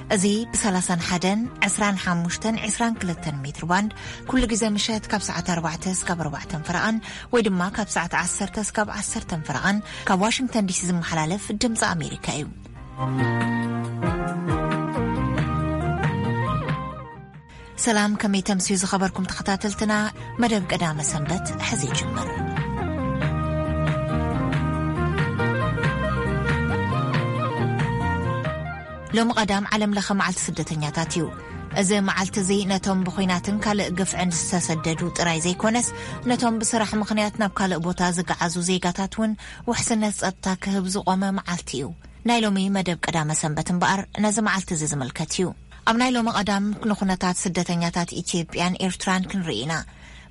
እዚ ብ31፣ 25፣ 22 ሜትር ባንድ ኩሉ ግዜ ምሸት ካብ ሰዓት ኣርባዕተ እስካብ ኣርባዕተን ፈረቓን ወይ ድማ ካብ ሰዓት ዓሰርተ እስካብ ዓሰርተን ፈረቓን ካብ ዋሽንግተን ዲሲ ዝመሓላለፍ ድምፂ ኣሜሪካ እዩ። ሰላም፣ ከመይ ተምስዩ ዝኸበርኩም ተኸታተልትና? መደብ ቀዳመ ሰንበት ሕዚ ይጅምር። ሎሚ ቀዳም ዓለም ለኸ መዓልቲ ስደተኛታት እዩ። እዚ መዓልቲ እዚ ነቶም ብኹናትን ካልእ ግፍዕን ዝተሰደዱ ጥራይ ዘይኮነስ፣ ነቶም ብስራሕ ምኽንያት ናብ ካልእ ቦታ ዝገዓዙ ዜጋታት እውን ውሕስነት ጸጥታ ክህብ ዝቖመ መዓልቲ እዩ። ናይ ሎሚ መደብ ቀዳመ ሰንበት እምበኣር ነዚ መዓልቲ እዚ ዝምልከት እዩ። ኣብ ናይ ሎሚ ቀዳም ንኹነታት ስደተኛታት ኢትዮጵያን ኤርትራን ክንርኢ ኢና።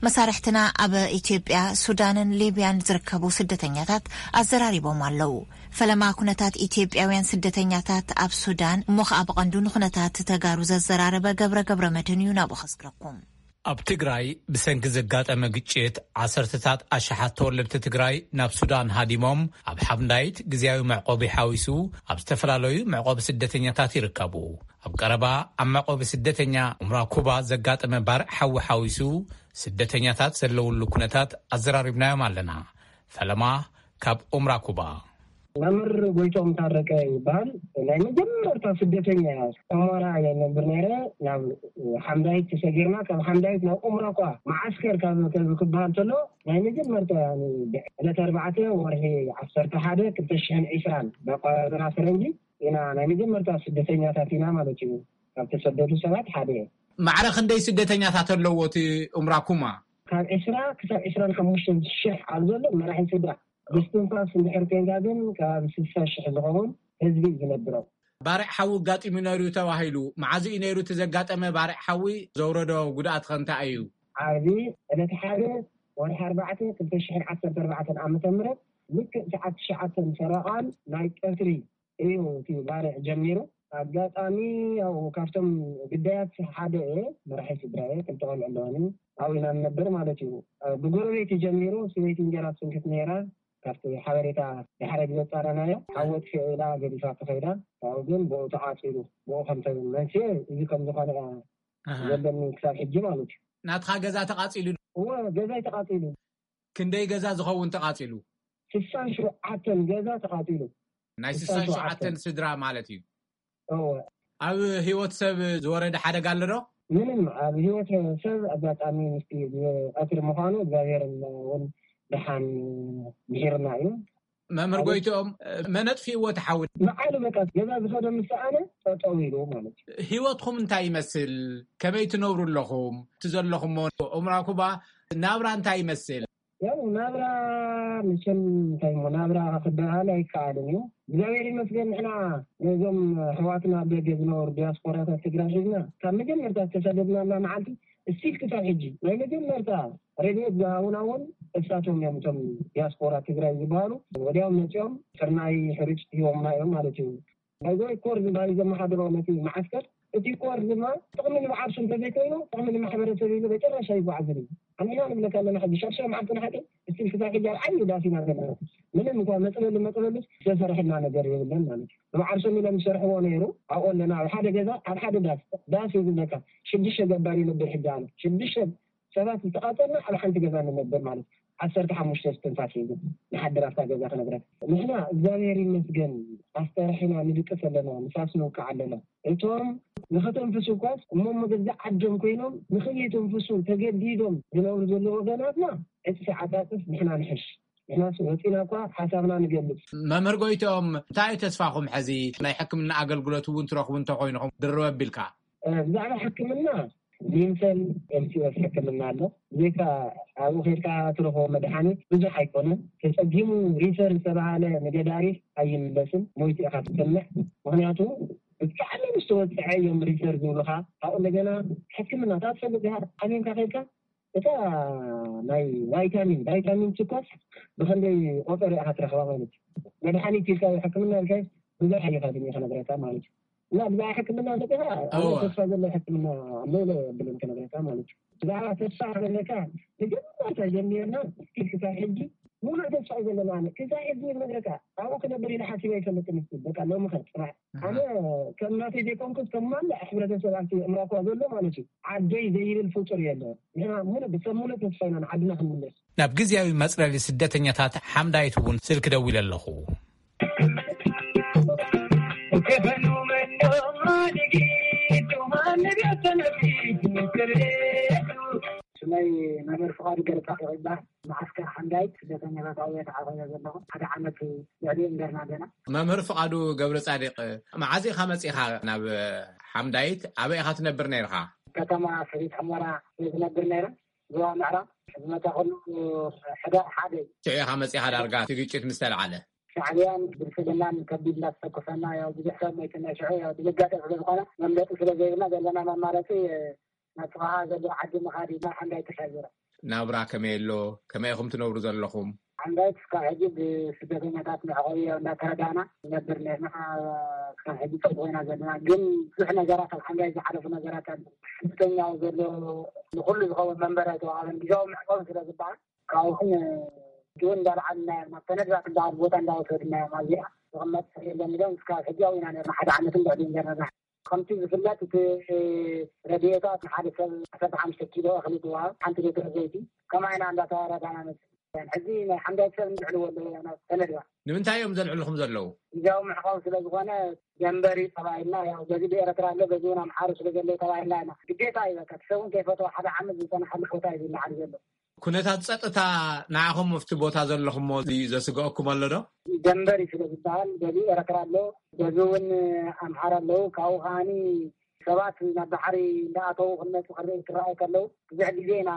መሳርሕትና ኣብ ኢትዮጵያ፣ ሱዳንን ሊብያን ዝርከቡ ስደተኛታት ኣዘራሪቦም ኣለዉ። ፈለማ ኩነታት ኢትዮጵያውያን ስደተኛታት ኣብ ሱዳን፣ እሞ ኸኣ ብቐንዱ ንኹነታት ተጋሩ ዘዘራረበ ገብረ ገብረ መድህን እዩ ናብኡ ከስግረኩም። ኣብ ትግራይ ብሰንኪ ዘጋጠመ ግጭት ዓሰርተታት ኣሽሓት ተወለድቲ ትግራይ ናብ ሱዳን ሃዲሞም ኣብ ሓምዳይት ግዝያዊ መዕቆቢ ሓዊሱ ኣብ ዝተፈላለዩ መዕቆቢ ስደተኛታት ይርከቡ። ኣብ ቀረባ ኣብ መዕቆቢ ስደተኛ ኡምራ ኩባ ዘጋጠመ ባርዕ ሓዊ ሓዊሱ ስደተኛታት ዘለውሉ ኩነታት ኣዘራሪብናዮም ኣለና። ፈለማ ካብ ኡምራ ኩባ። መምህር ጎይቶም ታረቀ ይበሃል። ናይ መጀመርታ ስደተኛ እያ። ሑመራ እየ ነብር ነይረ። ናብ ሓምዳይት ተሰጊርና፣ ካብ ሓምዳይት ናብ ኡምራ እኳ መዓስከር ካብ፣ ካብ ክበሃል ከሎ፣ ናይ መጀመርታ፣ ያኒ፣ ዕለት ኣርባዕተ ወርሒ ዓሰርተ ሓደ ክልተ ሽሕን ዕስራን ብኣቆጻጽራ ፈረንጂ ኢና ናይ መጀመርታ ስደተኛታት ኢና ማለት እዩ። ካብ ተሰደዱ ሰባት ሓደ እየ። ማዕረ ክንደይ ስደተኛታት ኣለዎ እቲ ኡምራ ኩማ? ካብ ዕስራ ክሳብ ዕስራን ሓሙሽተን ሽሕ ኣብ ዘሎ መራሒ ስድራ። ብስትንፋስ እንድሕር ኮይንካ ግን ከባቢ ስልሳ ሽሕ ዝኸውን ህዝቢ እዩ ዝነብሮ። ባርዕ ሓዊ ኣጋጢሙ ነይሩ ተባሂሉ። መዓዝ እዩ ነይሩ እቲ ዘጋጠመ ባርዕ ሓዊ? ዘውረዶ ጉድኣት ከ እንታይ እዩ? ዓርቢ ዕለት ሓደ ወርሒ ኣርባዕተ ክልተ ሽሕን ዓሰርተ ኣርባዕተን ዓመተ ምህረት ልክዕ ሰዓት ትሽዓተ ፈረቓን ናይ ቀትሪ እዩ እቲ ባርዕ ጀሚሩ። ኣጋጣሚ ያው ካብቶም ግዳያት ሓደ እየ፣ መራሒ ስድራ እየ፣ ክልተ ቆልዑ ኣለዋኒ። ኣብኡ ኢና ንነብር ማለት እዩ። ብጎረቤት እዩ ጀሚሩ። ሰበይቲ እንጀራ ትስንክት ነይራ። ካብቲ ሓበሬታ ድሕሪ ግዜ ጻረናዮ፣ ሓዊ ኣጥፊኡ ኢላ ገዲፋ ተኸይዳ። ካብኡ ግን ብኡ ተቓጺሉ፣ ብኡ ከም ተ-፣ መንስኤ እዚ ከም ዝኾነ እያ ኣሃ። ዘለኒ ክሳብ ሕጂ ማለት እዩ። ናትኻ ገዛ ተቓጺሉ? እወ፣ ገዛይ ተቓጺሉ። ክንደይ ገዛ ዝኸውን ተቓጺሉ? ስሳን ሸውዓተን ገዛ ተቓጺሉ። ናይ ስሳን ሸውዓተን። ስሳን ሸውዓተን ስድራ ማለት እዩ። እወ። ኣብ ህይወት ሰብ ዝወረደ ሓደጋ ኣሎ ዶ? ምንም፣ ኣብ ህይወት ሰብ ኣጋጣሚ ምስቲ ቀትሪ ምዃኑ እግዚኣብሔር እውን ደሓን ምሒርና እዩ። መምህር ኣብ ጎይትኦም፣ መን ኣጥፊእዎ እቲ ሓዊ? በዓሉ በቃ ገዛ ዝኸዶ ምስ ሰኣነ ጠጠው ኢሉ ማለት እዩ። ህይወትኩም እንታይ ይመስል? ከመይ ትነብሩ ኣለኹም? እቲ ዘለኹሞ ኡምራ ኩባ ናብራ እንታይ ይመስል? ያው ናብራ መቸም እንታይ እሞ ናብራ ክበሃል ኣይከኣልን እዩ። እግዚኣብሔር ይመስገን ንሕና ነዞም ኣሕዋትና ኣብ ደገ ዝነበሩ ዲያስፖራታት ትግራይ ሒዝና ካብ መጀመርታ ዝተሰደድናላ መዓልቲ እስቲል ክሳብ ሕጂ ናይ መጀመርታ ረድኤት ዝሃቡና እውን እሳቶም እዮም። እቶም ዲያስፖራ ትግራይ ዝበሃሉ ወዲያው መፂኦም ስርናይ ሕሩጭ ሂቦምና እዮም ማለት እዩ። ናይ ጎይ ኮር ዝበሃል ዘመሓድሮ ነቲ መዓስከር፣ እቲ ኮር ድማ ጥቕሚ ንባዕልሱ እንተዘይኮይኑ ጥቕሚ ንማሕበረሰብ ኢሉ መጨረሻ ይጓዓዝን እዩ። ኣንሕና ንብለካ ኣለና ሕጂ ሻድሻይ መዓልቲ ንሓቂ እስቲል ክሳብ ሕጂ ኣብ ዓብዪ ዳስ ኢና ዘለና። ምንም እንኳ መፅለሊ መፅለሊ ዝተሰርሐልና ነገር የብለን ማለት እዩ። ንባዕልሶም ኢሎም ዝሰርሕዎ ነይሩ ኣብኡ ኣለና ኣብ ሓደ ገዛ ኣብ ሓደ ዳስ ዳስ እዩ ዝብለካ ሽዱሽተ ገባር ይነብር ሕጂ ኣሎ ሽዱሽተ ሰባት ዝተቓፀልና ኣብ ሓንቲ ገዛ ንነብር ማለት እዩ። ዓሰርተ ሓሙሽተ እስትንፋስ ሒዙ ንሓድር ኣብታ ገዛ ክነብረካ። ንሕና እግዚኣብሔር ይመስገን ኣስተርሒና ንድቅስ ኣለና፣ ንፋስ ንውቃዕ ኣለና። እቶም ንኸተንፍሱ እኳስ እሞ መገዛ ዓዶም ኮይኖም ንኸየተንፍሱ ተገዲዶም ዝነብሩ ዘለዉ ወገናትና ዕፅፊ ዓፃፅፍ ንሕና ንሕሽ። ንሕናስ ወፂና እኳ ሓሳብና ንገልፅ። መምህር ጎይትኦም እንታይ እዩ ተስፋኹም ሕዚ ናይ ሕክምና ኣገልግሎት እውን ትረኽቡ እንተኾይንኹም ድርበ ኣቢልካ? ብዛዕባ ሕክምና ሊንሰን ኤምሲኤስ ሕክምና ኣሎ። ብዘይካ ኣብኡ ከድካ ትረኽቦ መድሓኒት ብዙሕ ኣይኮነን። ተፀጊሙ ሪፈር ዝተባሃለ ንገዳሪፍ ኣይምለስን፣ ሞይቱ ኢኻ ትሰምዕ። ምክንያቱ ብጣዕሚ ምስ ተወፅዐ እዮም ሪፈር ዝብሉኻ። ካብኡ እንደገና ሕክምና እታ ትፈልጥ ዲኻ ሓሚምካ ከድካ እታ ናይ ቫይታሚን ቫይታሚን ችኮስ ብኸንደይ ቆፀር ኢኻ ትረኽባ ማለት እዩ። መድሓኒት ኢልካዮ ሕክምና ኢልካዮ ብዙሕ ኣይኻድን እዩ ክነግረካ ማለት እዩ። እና ብዛዕባ ሕክምና እንተፂኻ ኣነ ተስፋ ዘሎ ሕክምና ኣሎ ኢለ የብልን ክነግረካ ማለት እዩ። ብዛዕባ ተስፋ ክነግረካ መጀመርታ ጀሚርና እስኪ ክሳብ ሕጂ ሙሉእ ተስፋ እዩ ዘለና። ኣነ ክሳብ ሕዚ ነግረካ ኣብኡ ክነብር ኢለ ሓሲበ ኣይፈልጥን። እስቲ በቃ ሎሚ ከ ፅባሕ ኣነ ከም ናተይ ዘይኮንኩስ ከም ማንኛውም ሕብረተሰብ ኣብቲ እምራኳ ዘሎ ማለት እዩ፣ ዓደይ ዘይብል ፍጡር የለ። ንሕና ሙሉእ ብሰብ ሙሉእ ተስፋ ኢና ንዓድና ክንምለስ። ናብ ግዝያዊ መጽለሊ ስደተኛታት ሓምዳይት እውን ስልኪ ደዊለ ኣለኹ። ስመይ መምህር ፍቓዱ ገለጻ ይባሃል። መዓስከር ሓምዳይት ስደተኛታት ኣብኡ ተዓቑበ ዘለኹ። ሓደ ዓመት ልዕሊ እምበርና ገና። መምህር ፍቓዱ ገብረ ጻድቕ፣ መዓዝ ኢኻ መጺኻ ናብ ሓምዳይት? ኣበይ ኢኻ ትነብር ነይርኻ? ከተማ ሰቲት ሑመራ እየ ዝነብር ነይረ። ዞባ ምዕራብ ዝመጻኹሉ ሕዳር ሓደ እዩ። ሽዑ ኢኻ መጺኻ ዳርጋ እቲ ግጭት ምስ ተልዓለ? ሻዕብያን ብልጽግናን ከቢድ እንዳተተኮሰና፣ ያው ብዙሕ ሰብ ሞይትና ሽዑ፣ ያው ድንጋጤ ስለ ዝኾነ መምለጢ ስለ ዘይብልና ዘለና መማረጺ ናብ ጥቓኻ ዘሎ ዓዲ ምኻድ እዩ። ናብ ሓምዳይት ተሻጊረ። ናብራ ከመይ ኣሎ? ከመይ ኢኹም ትነብሩ ዘለኹም? ሓምዳይት እስካብ ሕጂ ብስደተኛታት መዕቆቢ ያው እንዳተረዳእና ንነብር ነርና። እስካብ ሕጂ ጽቡቕ ኢና ዘለና። ግን ብዙሕ ነገራት ኣብ ሓምዳይት ዝሓለፉ ነገራት ኣሎ። ስደተኛው ዘሎ ንኹሉ ዝኸውን መንበሪ ኣይተዋሃበን። ግዛዊ መዕቆቢ ስለ ዝበሃል ካብኡ እውን እንዳልዓልና እዮም። ናብ ተነድራ ትበሃል ቦታ እንዳወሰድና እዮም። ኣብዚኣ ዝቕመጥ ሰብ የለን ኢሎም እስካብ ሕጂ ኣብኡ ኢና ነርና። ሓደ ዓመትን ልዕሊኡን ገርና። ከምቲ ዝፍለጥ እቲ ረድኤታት ንሓደ ሰብ ዓሰርተ ሓሙሽተ ኪሎ እኽሊ ትወሃብ፣ ሓንቲ ሊትሮ ዘይቲ። ከምኣ ኢና እንዳተረዳእና መጽእ። ሕጂ ናይ ሓምዳይት ሰብ እንድዕልዎ ኣለዎ ናብ ተነድባ። ንምንታይ እዮም ዘልዕልኹም ዘለዉ? ግዜያዊ መዕቆቢ ስለ ዝኾነ ደንበሪ ተባሂልና፣ ያው በዚ ብኤረትራ ኣሎ፣ በዚ እውን ኣምሓሩ ስለ ዘለዉ ተባሂልና ኢና። ግዴታ እዩ በቃ፣ እቲ ሰብ እውን ከይፈተወ ሓደ ዓመት ዝጸንሓሉ ቦታ እዩ ዝለዓል ዘሎ። ኩነታት ጸጥታ ንዓኹም ኣብቲ ቦታ ዘለኹሞ ዘስግአኩም ኣሎ ዶ? ደንበሪ ስለ ዝበሃል በዚ ኤረትራ ኣሎ፣ በዚ እውን ኣምሓራ ኣለዉ። ካብኡ ከዓኒ ሰባት ናብ ባሕሪ እንዳኣተዉ ክመጹ ክርኢ ክረኣዩ ከለዉ ብዙሕ ግዜ ኢና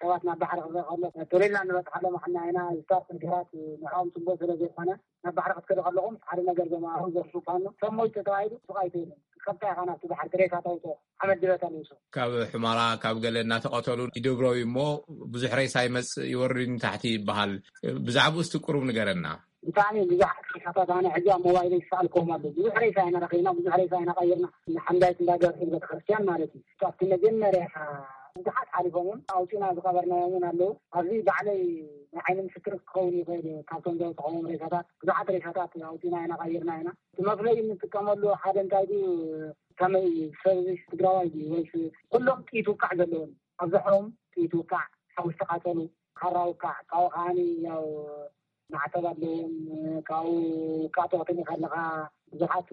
ሰባት ናብ ባሕሪ ክረኢ ከሎ ቶሌልና ንበጽሓሎም ኣሕና ኢና። ዝስታፍ ነገራት ንዕኦም ጽቡቕ ስለ ዘይኮነ ናብ ባሕሪ ክትከዱ ከለኹም ሓደ ነገር ዘማሩ ዘርፉፋኖ ሰብ ሞይቱ ተባሂሉ ሱቕ ኣይትብልን። ቀጥታ ኢኻ ናብቲ ባሕሪ ሬሳ ተውጽኦ ሓመድ ድበ ተልውሶ። ካብ ሑመራ ካብ ገለ እናተቐተሉ ይድብረው እሞ ብዙሕ ሬሳ ይመጽእ ይወርድ ንታሕቲ ይበሃል። ብዛዕባኡ እስቲ ቁሩብ ንገረና። ብጣዕሚ ብዙሓት ሬሳታት ኣነ ሕጂ ኣብ ሞባይለይ ይሰኣልከዎም ኣሎ። ብዙሕ ሬሳ ኢና ረኺብና፣ ብዙሕ ሬሳ ኢና ቀይርና። ንሓምዳይት እንዳ ገብርኤል ቤተክርስትያን ማለት እዩ። ኣብቲ መጀመርያ ብዙሓት ሓሊፎም እዮም። ኣውፂና ዝቐበርናዮም እውን ኣለዉ። ኣብዚ ባዕለይ ናይ ዓይኒ ምስክር ክኸውን ይኽእል እዩ። ካብቶም ዘውፅኸዎም ሬሳታት ብዙሓት ሬሳታት ኣውፂና ኢና ቀይርና ኢና። እቲ መፍለይ እንጥቀመሉ ሓደ እንታይ ድዩ፣ ከመይ እዩ፣ ሰብ እዚ ትግራዋይ ድዩ ወይስ ኩሎም ጥይት ውቃዕ ዘለዎም? ኣብዝሖም ጥይት ውቃዕ፣ ሓዊ ዝተቃጸሉ፣ ካራ ውቃዕ፣ ካብኡ ከዓኒ ያው ማዕተብ ኣለዎም። ካብኡ ውቃዕ ተቕትል ከለኻ ብዙሓት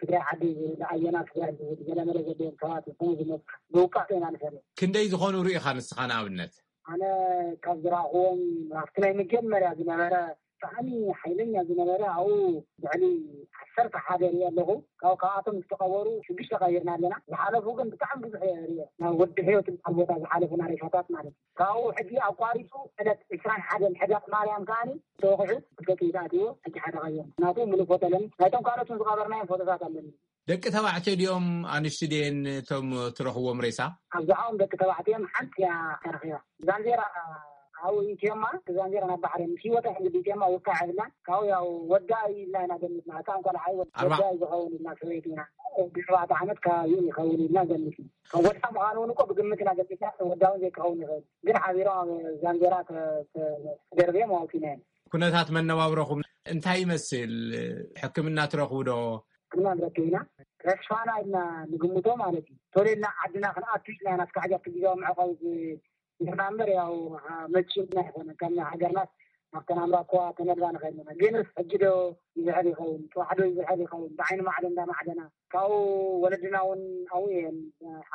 ትግራይ ዓዲ ዝብል፣ ኣየና ትግራይ ዝብል ገለመለ ዘለዎም ሰባት ይኾኑ ዝመጽእ ብውቃዕ ኢና ንፈልጥ። ክንደይ ዝኾኑ ርኢኻ ንስኻ ንኣብነት? ኣነ ካብ ዝረኣኽዎም ኣብቲ ናይ መጀመርያ ዝነበረ ብጣዕሚ ሓይለኛ ዝነበረ ኣብኡ ልዕሊ ዓሰርተ ሓደ ሪኦ ኣለኹ። ካብ ካብኣቶም ዝተቐበሩ ሽዱሽተ ቀይርና ኣለና። ዝሓለፉ ግን ብጣዕሚ ብዙሕ ሪኦ። ናብ ወዲ ሕይወት ዝበሃል ቦታ ዝሓለፉና ሬሳታት ማለት እዩ። ካብኡ ሕጂ ኣቋሪፁ ዕለት ዕስራን ሓደን ሕዳር ማርያም ከዓኒ ተወቂዑ ክልተ ጥይት ኣትዎ ሕጂ ሓደ ቀይርና። ናቱ ሙሉእ ፎቶ ኣለኒ። ናይቶም ካልኦት እውን ዝቐበርናዮም ፎቶታት ኣለኒ። ደቂ ተባዕትዮ ድዮም ኣንሽቲ ድየን እቶም ትረኽዎም ሬሳ? ኣብዝሓኦም ደቂ ተባዕትዮ እዮም። ሓንቲ እያ ተረኺባ። ዛንዜራ ኣብኡ ኢትዮማ፣ ዛንዜራ ናብ ባሕሪ ምስ ህይወታ ሕንግዲ ኢትዮማ ውቃዕ የብላን። ካብኡ ያው ወዳ እዩ ኢልና ኢና ገሚትና። ህፃን ቆልዓ እዩ፣ ወዳ ኣርባ- እዩ ዝኸውን ኢልና ሰበይቲ ኢና። ብሸውዓተ ዓመት ከባቢኡ ይኸውን ኢልና ገሚትና። ወዳ ምዃኑ እውን እኮ ብግምት ኢና ገሚትና። ወዳ እውን ዘይክኸውን ይኽእል። ግን ሓቢሮም ኣብ ዛንዜራ ተ-፣ ተ-፣ ተደርብዮም ኣውፂናዮም። ኩነታት መነባብሮኹም እንታይ ይመስል? ሕክምና ትረኽቡ ዶ? ሕክምና ንረክብ ኢና። ተስፋና ኢልና ንግምቶ ማለት እዩ። ቶሌልና ዓድና ክንኣቱ ኢልና ኢና እስካዕ ሕጂ ኣብቲ ግዜያዊ መዕቆቢ ዝ-፣ ጌርና እምበር ያው መቺና ኣይኮነን። ከም ሃገርናስ ናብተን ኣምራኳ ተነድባ ንኸይድ ኣለና። ግንስ ሕጂ ዶ ይዝሕል ይኸውን? ጽባሕ ዶ ይዝሕል ይኸውን? ብዓይኒ ማዕዶ እንዳማዕደና። ካብኡ ወለድና እውን ኣብኡ እየን፣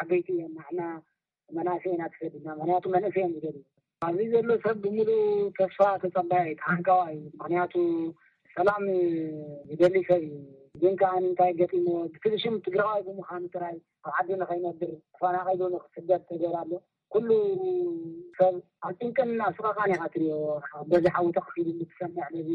ዓበይቲ እየን። ንሕና መናእሰይ ኢና ተሰዲድና። ምኽንያቱ መንእሰይ እዮም ዝደልዩ። ኣብዚ ዘሎ ሰብ ብምሉእ ተስፋ ተጸባይ፣ ተሃንቀዋይ እዩ። ምኽንያቱ ሰላም ዝደሊ ሰብ እዩ። ግን ከኣ እንታይ ገጢምዎ? ብትብሽም ትግራዋይ ብምዃኑ ጥራይ ኣብ ዓዱ ንኸይነብር ተፈናቒሉ ንክስደድ ተገይሩ ኣሎ። ኩሉ ሰብ ኣብ ጭንቅን ኣብ ስቐቓን ኢኻ ትሪኦ። በዚ ሓዊ ተቐፊሉ ትሰምዕ፣ በዚ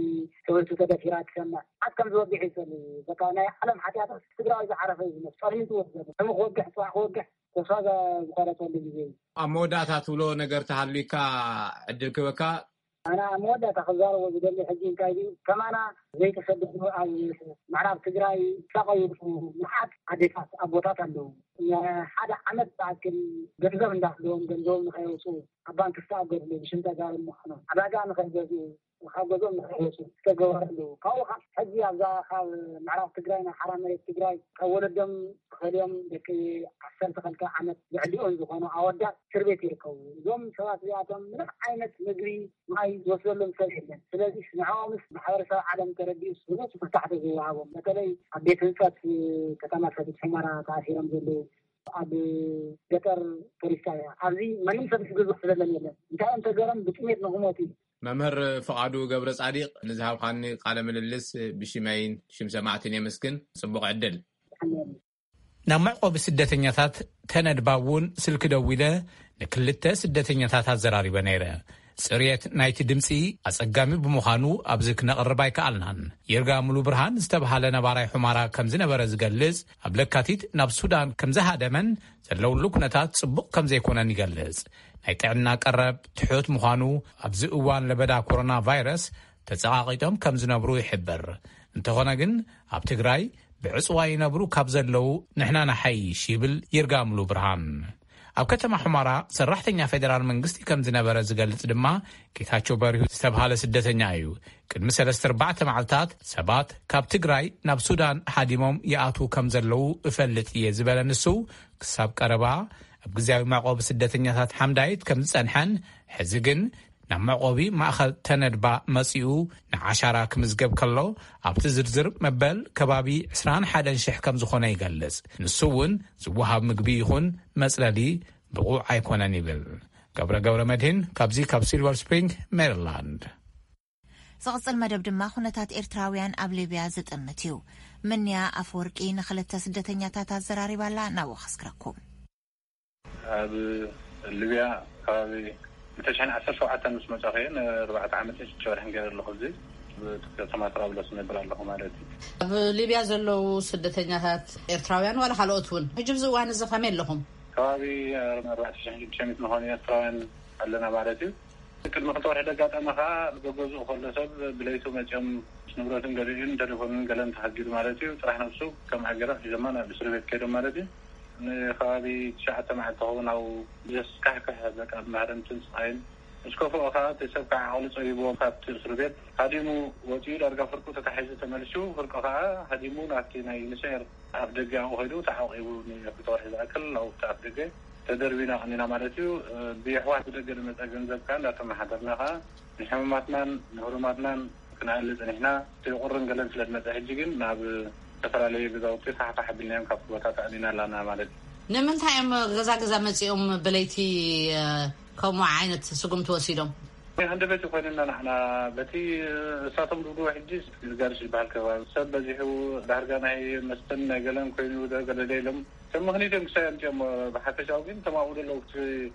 ሰበይቱ ተደፊራ ትሰምዕ። ዓት ከም ዝወግሕ እዩ ዘሎ። በቃ ናይ ዓለም ሓጢኣት ትግራዋይ ዝዓረፈ እዩ ዝመስል። ጸልሚቱ ወስደሉ። ሕሙ ክወግሕ፣ ጽባሕ ክወግሕ ተስፋ ዘ-፣ ዝቆረጸሉ ግዜ እዩ። ኣብ መወዳእታ ትብሎ ነገር ተሃልዩካ ዕድል ክበካ፣ ኣና መወዳእታ ክዛረቦ ዝደሊ ሕጂ እንታይ ድዩ፣ ከማና ዘይተሰደዱ ኣብ ምዕራብ ትግራይ ዝሳቐዩ መዓት ኣዴታት ኣቦታት ኣለዉ። ንሓደ ዓመት ዝኣክል ገንዘብ እንዳሃለዎም ገንዘቦም ንኸየውፅኡ ኣብ ባንክ ዝተኣገድሉ፣ ብሽም ተጋሩ ምዃኖም ዕዳጋ ንኸይገዝኡ ካብ ገዝኦም ንኸይወፁ ዝተገበረ ኣለዉ። ካብኡ ከዓ ሕጂ ኣብዛ ካብ ምዕራብ ትግራይ ናብ ሓራ መሬት ትግራይ ካብ ወለዶም ተፈልዮም ደቂ ዓሰርተ ክልተ ዓመት ዝዕድኦም ዝኾኑ ኣወዳት እስር ቤት ይርከቡ። እዞም ሰባት እዚኣቶም ምንም ዓይነት ምግቢ፣ ማይ ዝወስደሎም ሰብ የለን። ስለዚ ንዕኦምስ ማሕበረሰብ ዓለም ተረዲኡ ስሉስ ፍታሕ ተዝወሃቦም፣ በተለይ ኣብ ቤት ህንፀት ከተማ ሰቲት ሑመራ ተኣሲሮም ዘለዉ፣ ኣብ ገጠር ፖሊስ ጣብያ ኣብዚ ማንም ሰብ ዝግዝእ ስለለን የለን። እንታይ እዮም ተገሮም ብጥሜት ንክሞቱ እዩ። መምህር ፍቓዱ ገብረ ጻዲቕ፣ ንዝሃብካኒ ቃለ ምልልስ ብሽመይን ሽም ሰማዕትን የመስግን። ጽቡቕ ዕድል። ናብ መዕቆቢ ስደተኛታት ተነድባ እውን ስልኪ ደዊለ ንክልተ ስደተኛታት ኣዘራሪበ ነይረ። ጽርየት ናይቲ ድምጺ ኣጸጋሚ ብምዃኑ ኣብዚ ክነቕርብ ኣይከኣልናን። ይርጋ ሙሉ ብርሃን ዝተብሃለ ነባራይ ሑማራ ከም ዝነበረ ዝገልጽ፣ ኣብ ለካቲት ናብ ሱዳን ከም ዝሃደመን ዘለውሉ ኩነታት ጽቡቕ ከም ዘይኮነን ይገልጽ። ናይ ጥዕና ቀረብ ትሑት ምዃኑ፣ ኣብዚ እዋን ለበዳ ኮሮና ቫይረስ ተጸቓቒጦም ከም ዝነብሩ ይሕብር። እንተኾነ ግን ኣብ ትግራይ ብዕጽዋ ይነብሩ ካብ ዘለዉ ንሕና ንሓይሽ ይብል ይርጋ ሙሉ ብርሃን። ኣብ ከተማ ሑመራ ሰራሕተኛ ፌደራል መንግስቲ ከም ዝነበረ ዝገልጽ ድማ ጌታቸው በሪሁ ዝተብሃለ ስደተኛ እዩ። ቅድሚ ሰለስተ ኣርባዕተ መዓልታት ሰባት ካብ ትግራይ ናብ ሱዳን ሃዲሞም ይኣትዉ ከም ዘለዉ እፈልጥ እየ ዝበለ ንሱ፣ ክሳብ ቀረባ ኣብ ግዝያዊ መዕቆቢ ስደተኛታት ሓምዳይት ከም ዝጸንሐን፣ ሕዚ ግን ናብ መዕቆቢ ማእኸል ተነድባ መጺኡ ንዓሻራ ክምዝገብ ከሎ፣ ኣብቲ ዝርዝር መበል ከባቢ ዕስራን ሓደን ሽሕ ከም ዝኾነ ይገልጽ። ንሱ እውን ዝወሃብ ምግቢ ይኹን መጽለሊ ብቑዕ ኣይኮነን ይብል። ገብረ ገብረ መድህን ካብዚ ካብ ሲልቨር ስፕሪንግ ሜሪላንድ። ዝቕጽል መደብ ድማ ኩነታት ኤርትራውያን ኣብ ሊብያ ዝጥምት እዩ። ምንያ ኣፈወርቂ ንኽልተ ስደተኛታት ኣዘራሪባላ፣ ናብኡ ከስግረኩም። ኣብ ሊብያ ከባቢ ክልተ ሽሕን ዓሰርተ ሸውዓተን ምስ መጻኹ እየ፣ ንኣርባዕተ ዓመትን ሽዱሽተ ወርሕን ገይረ ኣለኹ። እዚ ኣብ ከተማ ጥራብሎስ እነብር ኣለኹ ማለት እዩ። ኣብ ሊብያ ዘለዉ ስደተኛታት ኤርትራውያን ዋላ ካልኦት እውን ሕጂ ኣብዚ እዋን እዚ ከመይ ኣለኹም? ከባቢ ኣርባዕተ ሽሕን ሽዱሽተ ሚእትን ዝኾኑ ኤርትራውያን ኣለና ማለት እዩ። ቅድሚ ክልተ ወርሒ ደጋጠመ ከዓ ገገዝኡ ከሎ ሰብ ብለይቱ መፅኦም ንብረትን ገሊኡን ቴሌፎንን ገለን ተሃጊዱ ማለት እዩ። ጥራሕ ነብሱ ከም ዓገራ ሒዞማ ናብ እስር ቤት ከይዶም ማለት እዩ። ንከባቢ ትሽዓተ መዓልቲ ክኸውን ኣብኡ ብዘስካሕክሕ በቃ ማህረምትን ስቃይን ምስ ከፍኦ ከዓ እቲ ሰብ ከዓ ዓቕሉ ፀቢብዎ ካብቲ እስር ቤት ሃዲሙ ወፂኡ። ዳርጋ ፍርቁ ተታሒዙ ተመልሱ። ፍርቁ ከዓ ሃዲሙ ናብቲ ናይ ዩኒሴር ኣፍ ደገ ኣብኡ ከይዱ ተዓቂቡ ንክልተ ወርሒ ዝኣክል ኣብኡ ኣብቲ ኣፍ ደገ ተደርቢና ቀኒና ማለት እዩ። ብየሕዋት ብደገ ዝመፀ ገንዘብ ከዓ እንዳተመሓደርና ከዓ ንሕሙማትናን ንህሩማትናን ክነኣሊ ፀኒሕና። እቲ ቁርን ገለን ስለ ዝመፀ ሕጂ ግን ናብ ዝተፈላለዩ ገዛውቲ ፋሕፋሕ ኣቢልናዮም ካብቲ ቦታ ተኣሊና ኣላና ማለት እዩ። ንምንታይ እዮም ገዛ ገዛ መፂኦም ብለይቲ ከምኡ ዓይነት ስጉምቲ ወሲዶም? ናይ ሃንደበት ይኮይንና ንሕና በቲ እሳቶም ድብድቦ ሕጂ ጋርሽ ዝበሃል ከባቢ ሰብ በዚሑ ዳርጋ ናይ መስተን ናይ ገለን ኮይኑ ገለደ ኢሎም ሰብ ምኽንያት እዮም ክሳይ ኣምፅኦም። ብሓፈሻው ግን ተማኡ ደለዉ እቲ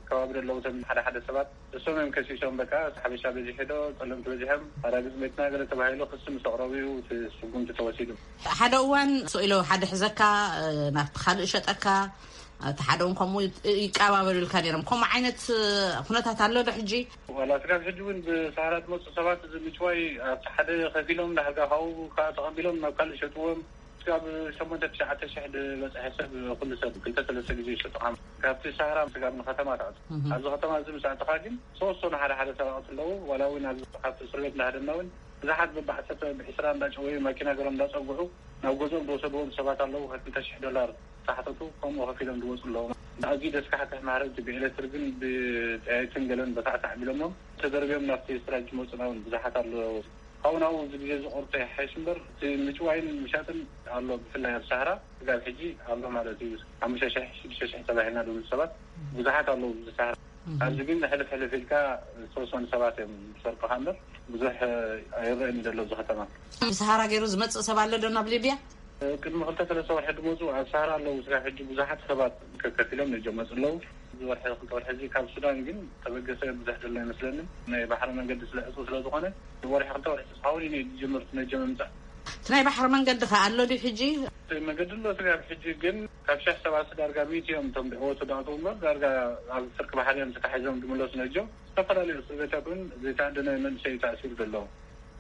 ከባቢ ደለዉ ሰብ ሓደ ሓደ ሰባት እሶም እዮም ከሲሶም። በቃ ሓበሻ በዚሑ ዶ ፀለምቲ በዚሖም ኣራግፅ ቤትና ገለ ተባሂሉ ክሲ ምስ ኣቕረቡ እዩ እቲ ስጉምቲ ተወሲዱ። ሓደ እዋን ስኢሎ ሓደ ሕዘካ ናብቲ ካልእ ሸጠካ፣ እቲ ሓደ እውን ከምኡ ይቀባበሉልካ ነይሮም። ከምኡ ዓይነት ኩነታት ኣሎ ዶ ሕጂ? ዋላ ስጋብ ሕጂ እውን ብሳህራ ዝመፁ ሰባት እዚ ምጭዋይ ኣብቲ ሓደ ከፊሎም ዳሕርጋ ካብኡ ከዓ ተቐቢሎም ናብ ካልእ ሸጥዎም። ስጋብ ሸሞንተ ትሽዓተ ሽሕ ዝበፅሐ ሰብ ኩሉ ሰብ ክልተ ሰለስተ ግዜ ይሸጡ። ካብቲ ሳህራ ስጋብ ንከተማ ተኣቱ። ኣብዚ ከተማ እዚ ምስ ኣተኻ ግን ሰወሰኑ ሓደ ሓደ ሰራቕቲ ኣለዉ። ዋላ እውን ኣብዚ ካብቲ እስር ቤት እንዳሃደምና እውን ብዙሓት ብባዕሰተ ብዒስራ እንዳጨወዩ ማኪና ገሮም እንዳፀጉሑ ናብ ገዝኦም ዝወሰድዎም ሰባት ኣለዉ። ከክልተ ሽሕ ዶላር ሳሕተቱ ከምኡ ከፊሎም ዝወፁ ኣለዉ። ኣዝዩ ደስካሕክሕ ማህረምቲ ብኤሌክትሪክን ብጠያይትን ገለን በታዕታዕ ቢሎሞም ተደርብዮም ናብቲ ስራጅ ዝመፁና እውን ብዙሓት ኣለዉ። ካብኡ ናብኡ እዚ ግዜ ዝቆርጦ ይሓይሽ እምበር እቲ ምጭዋይን ምሻጥን ኣሎ። ብፍላይ ኣብ ሳህራ ስጋብ ሕጂ ኣሎ ማለት እዩ። ሓሙሽተ ሽሕ ሽዱሽተ ሽሕ ተባሂልና ድብሉ ሰባት ብዙሓት ኣለዉ ኣብዚ ሳህራ። ኣብዚ ግን ሕልፍ ሕልፍ ኢልካ ዝተወሰኑ ሰባት እዮም ዝሰርቁኻ እምበር ብዙሕ ኣይረእን ዘሎ ኣብዚ ከተማ። ሳሃራ ገይሩ ዝመጽእ ሰብ ኣሎ ዶ ናብ ሊብያ? ቅድሚ ክልተ ሰለስተ ወርሒ ድመፁ ኣብ ሳሃራ ኣለዉ። ስጋብ ሕጂ ብዙሓት ሰባት ከከፊሎም ነጆም መፁ ኣለዉ። እዚ ወርሒ ክልተ ወርሒ እዚ ካብ ሱዳን ግን ተበገሰ ብዙሕ ዘሎ ኣይመስለንን። ናይ ባሕሪ መንገዲ ስለ ዕፁ ስለ ዝኾነ ወርሒ ክልተ ወርሒ ተስፋውን እዩ ዝጅምር ነጆም ምምፃእ። ናይ ባሕሪ መንገዲ ከ ኣሎ ድዩ ሕጂ? መገዲ ኣሎ ስጋብ ሕጂ፣ ግን ካብ ሽሕ ሰባት ዳርጋ ሚእቲ እዮም እቶም ድዕወቱ ዳእተው እምበር፣ ዳርጋ ኣብ ፍርቂ ባሕሪ እዮም ተታሒዞም ዝምለሱ ነጆ። ዝተፈላለዩ እስር ቤታት እውን ዘይተኣደነ መንእሰይ ተኣሲሩ ዘሎ።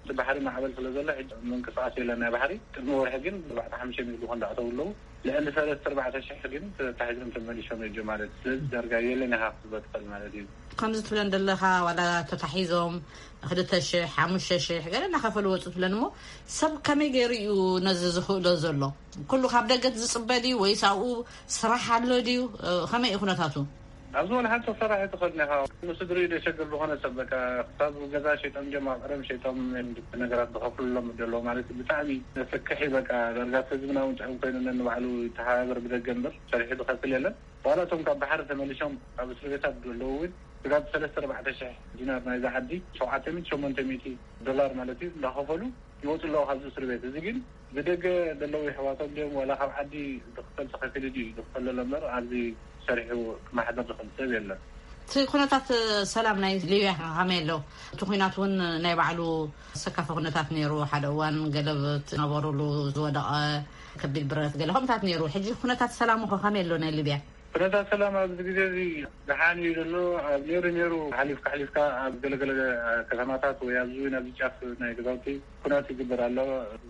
እቲ ባሕሪ ማዕበል ስለ ዘሎ ሕጂ ምንቅስቃስ የለን ናይ ባሕሪ። ቅድሚ ወርሒ ግን ኣርባዕተ ሓሙሽተ ሚእቲ ዝኾን ዳእተው ኣለዉ። ልዕሊ ሰለስተ ኣርባዕተ ሽሕ ግን ተታሒዞም ተመሊሶም ነጆ ማለት እዩ። ስለዚ ዳርጋ የለን ኢኻ ክትብሎ ትኽእል ማለት እዩ። ከምዚ ትብለን ዘለኻ ዋላ ተታሒዞም ክልተ ሽሕ ሓሙሽተ ሽሕ ገለ እናኸፈሉ ወፁ ትብለን እሞ፣ ሰብ ከመይ ገይሩ እዩ ነዚ ዝኽእሎ ዘሎ? ኩሉ ካብ ደገ ዝፅበ ድዩ ወይስ ኣብኡ ስራሕ ኣሎ ድዩ? ከመይ እዩ ኩነታቱ? ኣብዚ ወላ ሓንቲ ክሰርሕ ኣይትኽእልን ኢኻ። ንስድሪኡ ደሸግር ዝኾነ ሰብ በቃ ክሳብ ገዛ ሸይጦም ጀማ ቀደም ሸይጦም ነገራት ዝኸፍሉሎም ዘለዉ ማለት እዩ። ብጣዕሚ ዘፍክሕ እዩ። በቃ ዳርጋ ህዝብና እውን ጥዑም ኮይኑ ነንባዕሉ ይተሓባበር ብደገ እምበር ሰሪሑ ዝኸፍል የለን። ዋላ እቶም ካብ ባሕሪ ተመሊሶም ኣብ እስር ቤታት ዘለዉ እውን ስጋብ ሰለስተ ኣርባዕተ ሽሕ ዲናር ናይዛ ዓዲ ሸውዓተ ሚእቲ ሸሞንተ ሚእቲ ዶላር ማለት እዩ እንዳኸፈሉ ይወፁ ኣለዉ ካብዚ እስር ቤት። እዚ ግን ብደገ ዘለዉ የሕዋቶም ድዮም ዋላ ካብ ዓዲ ዝኽፈል ተኸፊሉ ድዩ ዝኽፈለሎ እምበር ኣብዚ ሰሪሑ ክመሓደር ዝኽእል ሰብ የለን። እቲ ኩነታት ሰላም ናይ ሊብያ ከ ከመይ ኣሎ? እቲ ኩናት እውን ናይ ባዕሉ ኣሰካፊ ኩነታት ነይሩ። ሓደ እዋን ገለብ ዝነበሩሉ ዝወደቐ ከቢድ ብረት ገለ ከምታት ነይሩ። ሕጂ ኩነታት ሰላም እኮ ከመይ ኣሎ ናይ ሊብያ? ኩነታት ሰላም ኣብዚ ግዜ እዚ ደሓን እዩ ዘሎ። ኣብ ነይሩ ነይሩ ሓሊፍካ ሓሊፍካ ኣብ ገለገለ ከተማታት ወይ ኣብዚ እውን ኣብዚ ጫፍ ናይ ገዛውቲ ኩናት ይግበር ኣሎ።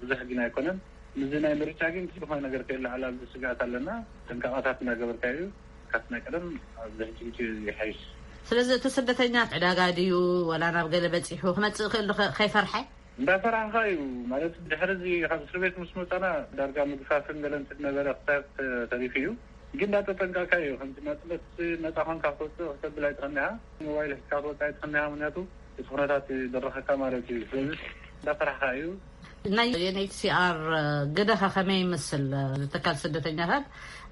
ብዙሕ ግን ኣይኮነን። ምዚ ናይ ምርጫ ግን ዝኾነ ነገር ከየለዓል ኣብዚ ስግኣት ኣለና። ጥንቃቐታት እናገበርካ እዩ። ካብቲ ናይ ቀደም ኣብዚ ሕጂ ግዜ ይሓይሽ። ስለዚ እቲ ስደተኛ ዕዳጋ ድዩ ወላ ናብ ገለ በፂሑ ክመፅእ ክእል ዶ ከ- ከይፈርሐ? እንዳፈራሕኻ እዩ ማለት ድሕሪ እዚ ካብ እስር ቤት ምስ መፃና ዳርጋ ምግፋፍን ገለን ስለ ነበረ ክሳብ ተሪፉ እዩ። ግን እንዳተጠንቀቕካ እዩ። ከምዚ ናፅነት ነፃ ኮንካ ክትወፅእ ክተብል ኣይትኽእልንኻ። ሞባይል ሒዝካ ክትወፅእ ኣይትኽእልንኻ። ምክንያቱ እቲ ኩነታት ይደረኸካ ማለት እዩ። ስለዚ እንዳፈራሕኻ እዩ። ናይ ዩኤንኤችሲኣር ግደኸ ከመይ ይመስል? ትካል ስደተኛታት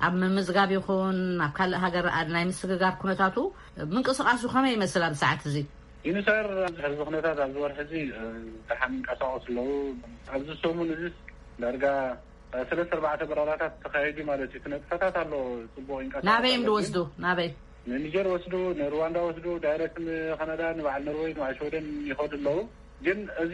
ኣብ ምምዝጋብ ይኹን ኣብ ካልእ ሃገር ናይ ምስግጋር ኩነታቱ ምንቅስቃሱ ከመይ ይመስል ኣብ ሰዓት እዚ? ዩኒሳር ሕዚ ኩነታት ኣብዚ ወርሒ እዚ ደሓን ይንቀሳቀሱ ኣለዉ። ኣብዚ ሰሙን እዚ ዳርጋ ሰለስተ ኣርባዕተ በረራታት ተካይዱ ማለት እዩ። ክነጥፈታት ኣሎ ፅቡቅ ይንቀሳቀስ ናበይ እዮም ዝወስዱ? ናበይ? ንኒጀር ወስዱ፣ ንሩዋንዳ ወስዱ፣ ዳይረክት ንካናዳ፣ ንበዓል ኖርወይ፣ ንበዓል ሽወደን ይኸዱ ኣለዉ። ግን እዚ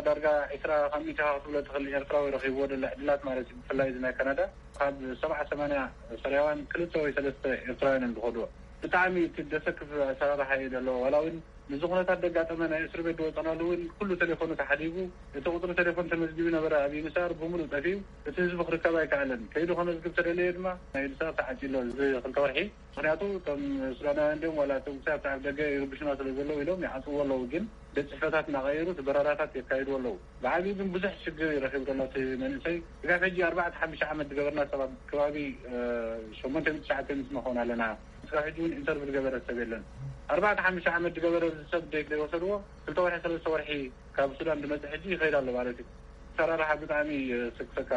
ዳርጋ ዒስራ ካብ ሚእቲ ክትብሎ ትኽእል ኤርትራዊ ረኺብዎ ዘሎ ዕድላት ማለት እዩ። ብፍላይ እዚ ናይ ካናዳ ካብ ሰብዓ ሰማንያ ሶርያውያን ክልተ ወይ ሰለስተ ኤርትራውያን እዮም ዝኸድዎ። ብጣዕሚ እቲ ደሰክፍ ኣሰራርሓ እዩ ዘለዎ። ዋላ እውን ንዚ ኩነታት ደጋጠመ ናይ እስር ቤት ዝወፀናሉ እውን ኩሉ ቴሌፎኑ ተሓዲጉ፣ እቲ ቁፅሪ ቴሌፎን ተመዝጊቡ ነበረ ኣብ ዩኒሳር ብምሉእ ጠፊኡ፣ እቲ ህዝቢ ክርከብ ኣይከኣለን። ከይዱ ከመዝግብ ተደለየ ድማ ናይ ዩኒሳር ተዓፂ ኣሎ እዚ ክልተ ወርሒ። ምክንያቱ እቶም ሱዳናውያን ድዮም ዋላ እቶም ክሳብ ኣብ ደገ ይርብሹና ስለ ዘለዉ ኢሎም ይዓፅዎ ኣለዉ። ግን ቤት ፅሕፈታት እናቐየሩ እቲ በረራታት የካይዱ ኣለዉ። ብዓብዩ ግን ብዙሕ ሽግር ይረኪቡ ዘሎ እቲ መንእሰይ። ስጋብ ሕጂ ኣርባዕተ ሓሙሽተ ዓመት ዝገበርና ሰባት ከባቢ ሸሞንተ ሚእቲ ትሽዓተ ሚእቲ ንኸውን ኣለና። ስጋብ ሕጂ እውን ኢንተርቪው ዝገበረ ሰብ የለን። ኣርባዕተ ሓሙሽተ ዓመት ዝገበረ እዚ ሰብ ደይ ዘይወሰድዎ ክልተ ወርሒ ሰለስተ ወርሒ ካብ ሱዳን ዝመፅእ ሕጂ ይኸይድ ኣሎ ማለት እዩ። ሰራርሓ ብጣዕሚ ስክሰካ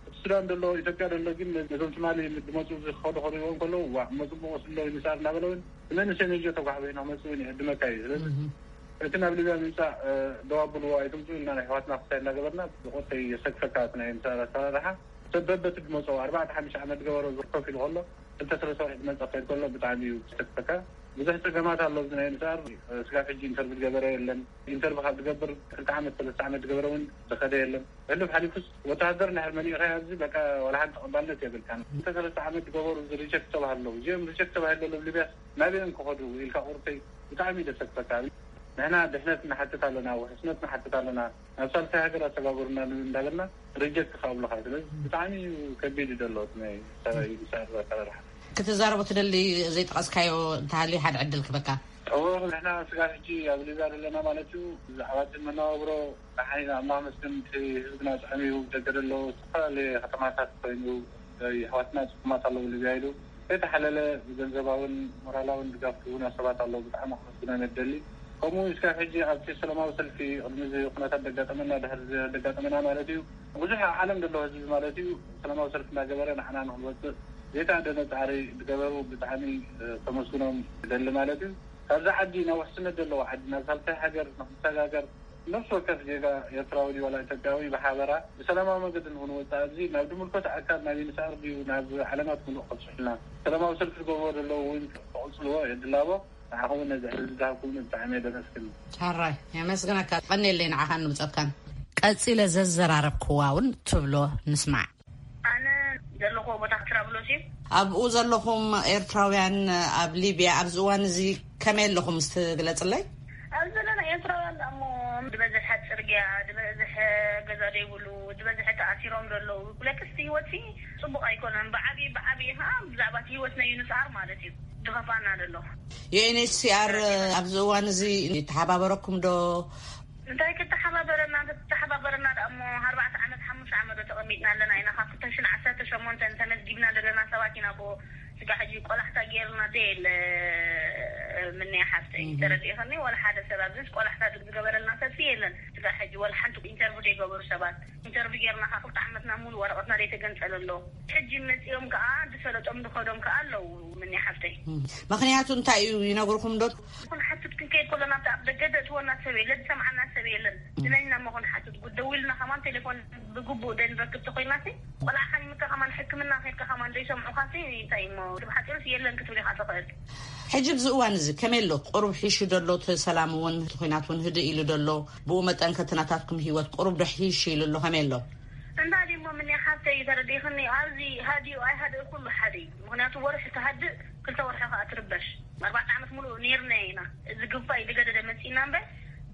እቲ ሱዳን ዘሎ ኢትዮጵያ ዘሎ ግን ነዞም ትማሊ ዝመፁ ዝኸዱ ከሪዎም ከለዉ ዋ መፅቡቅ ወስሎ ይንሳር እናበለ እውን ንመንእሰይ ነጆ ተጓሕበ ኢና መፅኡ ይዕድመካ እዩ። ስለዚ እቲ ናብ ሊብያ ምምፃእ ደው ኣብልዎ ኣይትምፁ ኢልና ናይ ኣሕዋትና ክሳይ እናገበርና ብቁርተይ የሰክፈካ እቲ ናይ ምሳር ኣሰራርሓ ሰብ በበቲ ዝመፀው ኣርባዕተ ሓሙሽተ ዓመት ዝገበሮ ዝኮፍ ኢሉ ከሎ ክልተ ሰለስተ ወርሒ ዝመፀ ክኸይድ ከሎ ብጣዕሚ እዩ የሰክፈካ። ብዙሕ ፀገማት ኣሎ ኣብዚ ናይ ምሳር ስጋብ ሕጂ ኢንተርቪው ዝገበረ የለን። ኢንተርቪው ካብ ዝገብር ክልተ ዓመት ሰለስተ ዓመት ዝገበረ እውን ዝኸደ የለን። ሕሉፍ ሓሊፉስ ወተሃደር እንድሕር መሊእኻ ኣብዚ በቃ ዋላ ሓንቲ ተቐባልነት የብልካን። ክልተ ሰለስተ ዓመት ዝገበሩ ሪጀክት ተባሃለዉ እዚኦም ሪጀክት ተባሂለሎም ሊብያስ ናበይ እዮም ክኸዱ ኢልካ ቁርተይ ብጣዕሚ እዩ ዘሰክፈካ። ንሕና ድሕነት ንሓትት ኣለና፣ ውሕስነት ንሓትት ኣለና፣ ናብ ሳልሳይ ሃገር ኣሰጋግሩና እንዳበልና ሪጀክት ክኣብሉኻ። ስለዚ ብጣዕሚ እዩ ከቢድ እዩ ዘሎ እቲ ናይ ሰራዊት ኣሰራርሓ። ክትዛረቦ ትደሊ ዘይጠቐስካዮ እንተሃልዩ ሓደ ዕድል ክበካ። እዎ ንሕና ስጋብ ሕጂ ኣብ ሊብያ ዘለና ማለት እዩ። ብዛዕባ እቲ መነባብሮ ደሓን ኢና ኣላህ መስገን። እቲ ህዝብና ጥዑም እዩ። ደገ ዘሎ ዝተፈላለዩ ከተማታት ኮይኑ ኣሕዋትና ፅጉማት ኣለዉ ሊብያ ኢሉ ከይተሓለለ ብገንዘባውን ሞራላውን ድጋፍ ዝህቡና ሰባት ኣለዉ። ብጣዕሚ ከመስግኖም እየ ዝደሊ። ከምኡ እስካብ ሕጂ ኣብቲ ሰላማዊ ሰልፊ ቅድሚ እዚ ኩነታት ደጋጠመና ድሕሪ ደጋጠመና ማለት እዩ ብዙሕ ኣብ ዓለም ዘሎ ህዝቢ ማለት እዩ ሰላማዊ ሰልፊ እናገበረ ንዓና ንክንወፅእ ዘይተኣደነ ፃዕሪ ዝገበሩ ብጣዕሚ ከመስግኖም ይደሊ ማለት እዩ። ካብዛ ዓዲ ናብ ውሕስነት ዘለዎ ዓዲ ናብ ሳልሳይ ሃገር ንክንሰጋገር ነፍሲ ወከፍ ዜጋ ኤርትራዊ ድዩ ዋላ ኢትዮጵያዊ ብሓበራ ብሰላማዊ መገዲ ንክንወፅእ ኣብዚ ናብ ዝምልከቶ ኣካል ናብ ዩኒስኣር ድዩ ናብ ዓለማት ምሉእ ከብፅሑልና ሰላማዊ ሰልፊ ዝገብርዎ ዘለዉ እውን ክቕፅልዎ የድላቦ። ንዓኹም እውን ነዚ ዕድል ዝሃብኩምኒ ብጣዕሚ እየ ደመስግን። ሕራይ የመስግነካ። ቀንየለይ ንዓኻን ንብፀትካን። ቀጺለ ዘዘራረብክዋ እውን ትብሎ። ንስማዕ። ኣነ ዘለኹዎ ቦታ ትራብሎስ እዩ። ኣብኡ ዘለኹም ኤርትራውያን ኣብ ሊብያ ኣብዚ እዋን እዚ ከመይ ኣለኹም? እስቲ ግለጽለይ። ኣብዚ ዘለና ኤርትራውያን ደኣ እሞ ዝበዝሐ ጽርግያ፣ ዝበዝሐ ገዛ ዘይብሉ፣ ዝበዝሐ ተኣሲሮም ዘለዉ። ብለክስቲ ህይወት ሲ ጽቡቕ ኣይኮነን። ብዓቢ ብዓቢ ኸኣ ብዛዕባ እቲ ህይወት ናይ ዩንስኣር ማለት እዩ ዝኸፍኣና ዘሎ። ዩ ኤን ኤች ሲ ኣር ኣብዚ እዋን እዚ ይተሓባበረኩም ዶ? እንታይ ክተሓባበረና? እንተተሓባበረና ደኣ እሞ ኣርባዕተ ዓመት ሓሙሽተ ዓመት ዶ ተቐሚጥና ኣለና ኢና። ካብ ክልተ ሽሕን ዓሰርተ ሸሞንተን ተመዝጊብና ዘለና ሰባት ኢና እኮ። ስጋ ሕጂ ቆላሕታ ጌርና ዘየለ ምንያ ሓፍተይ፣ ተረዲእኽኒ? ዋላ ሓደ ሰብ ኣብዚስ ቆላሕታ ዝገበረልና ሰብሲ የለን። ስጋ ሕጂ ዋላ ሓንቲ ኢንተርቪው ዘይገበሩ ሰባት ኢንተርቪው ጌርና ካብ ክልተ ዓመትና ሙሉ ወረቐትና ዘይተገንጸለ ኣሎ። ሕጂ መጺኦም ከኣ ዝሰለጦም ዝኸዶም ከኣ ኣለዉ። ምንያ ሓፍተይ። ምኽንያቱ እንታይ እዩ ይነግርኹም ዶ? ክንሓትት ክንከይድ ከሎና ኣብቲ ኣብ ደገ ዘእትወና ሰብ የለን፣ ዝሰምዓና ሰብ የለን። ንመን ኢና እሞ ክንሓትት? ጉድ ደዊልና ከማን ቴሌፎን ብግቡእ ዘይንረክብ ተኾይናሲ፣ ቆልዓኻ ይምከ ከማን ሕክምና ከይድካ ከማን ዘይሰምዑኻሲ እንታይ እሞ፣ ብሓጺሩስ የለን ክትብል ኢኻ ትኽእል። ሕጂ ኣብዚ እዋን እዚ ከመይ ኣሎ? ቁሩብ ሒሹ ዶ ኣሎ? እቲ ሰላም እውን፣ እቲ ኲናት እውን ህድእ ኢሉ ዶ ኣሎ? ብኡ መጠን ከ እቲ ናታትኩም ህይወት ቁሩብ ዶ ሒሹ ኢሉ ኣሎ? ከመይ ኣሎ? እንዳ ድሞ ምንያ ሓፍተይ ተረዲእኽኒ፣ ኣብዚ ሃዲኡ ኣይሃድእ ኩሉ ሓደ እዩ። ምኽንያቱ ወርሒ ትሃድእ፣ ክልተ ወርሒ ከኣ ትርበሽ። ኣርባዕተ ዓመት ሙሉእ ኔርና ኢና። እዚ ግፋ እዩ ዝገደደ መጺእና እምበር፣